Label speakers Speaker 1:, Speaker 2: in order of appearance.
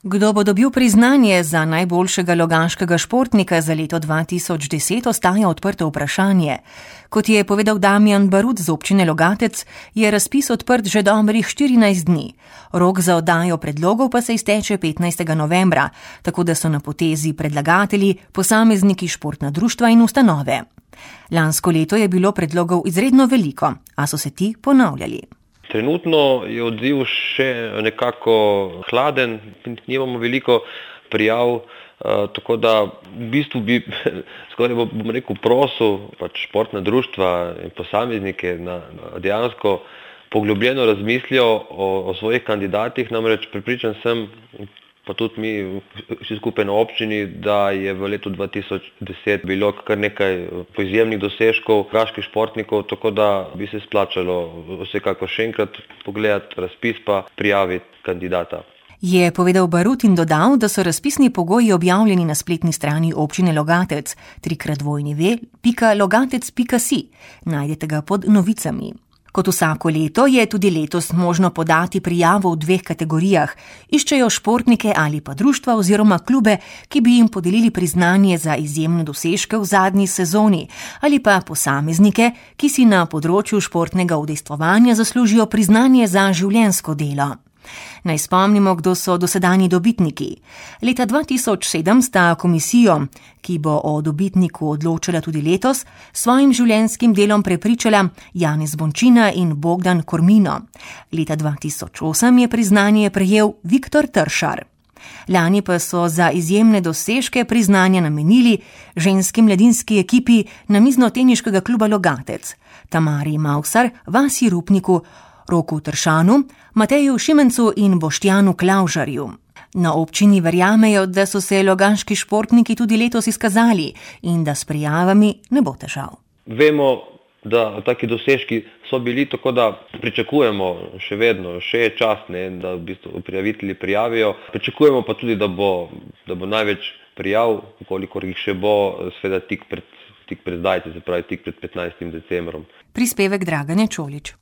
Speaker 1: Kdo bo dobil priznanje za najboljšega loganškega športnika za leto 2010, ostaja odprto vprašanje. Kot je povedal Damjan Barut z občine Logatec, je razpis odprt že dobrih 14 dni. Rok za oddajo predlogov pa se izteče 15. novembra, tako da so na potezi predlagatelji, posamezniki, športna društva in ustanove. Lansko leto je bilo predlogov izredno veliko, a so se ti ponavljali.
Speaker 2: Trenutno je odziv še nekako hladen, nimamo veliko prijav, tako da v bistvu bi skoraj bom rekel prosil športna društva in posameznike dejansko poglobljeno razmislijo o svojih kandidatih, namreč prepričan sem, pa tudi mi vsi skupaj na občini, da je v letu 2010 bilo kar nekaj izjemnih dosežkov logaških športnikov, tako da bi se splačalo vsekakor še enkrat pogledati razpis pa prijaviti kandidata.
Speaker 1: Je povedal Barut in dodal, da so razpisni pogoji objavljeni na spletni strani občine Logatec www.logatec.si. Najdete ga pod novicami. Kot vsako leto je tudi letos možno podati prijavo v 2 kategorijah. Iščejo športnike ali pa društva oziroma klube, ki bi jim podelili priznanje za izjemne dosežke v zadnji sezoni, ali pa posameznike, ki si na področju športnega udejstvovanja zaslužijo priznanje za življenjsko delo. Naj spomnimo, kdo so dosedanji dobitniki. Leta 2007 sta komisijo, ki bo o dobitniku odločala tudi letos, svojim življenjskim delom prepričala Janez Bončina in Bogdan Kormino. Leta 2008 je priznanje prejel Viktor Tršar. Lani pa so za izjemne dosežke priznanja namenili ženski mladinski ekipi Namiznoteniškega kluba Logatec, Tamari Mavsar, Vasi Rupniku, Roku Tršanu, Mateju Šimencu in Boštjanu Klavžarju. Na občini verjamejo, da so se loganški športniki tudi letos izkazali in da s prijavami ne bo težav.
Speaker 2: Vemo, da taki dosežki so bili, tako da pričakujemo še vedno, še je čas, da v bistvu prijavitelji prijavijo. Pričakujemo pa tudi, da bo največ prijav, kolikor jih še bo, seveda tik pred zdajci, se pravi tik pred 15. decembrom.
Speaker 1: Prispevek Dragane Čolić.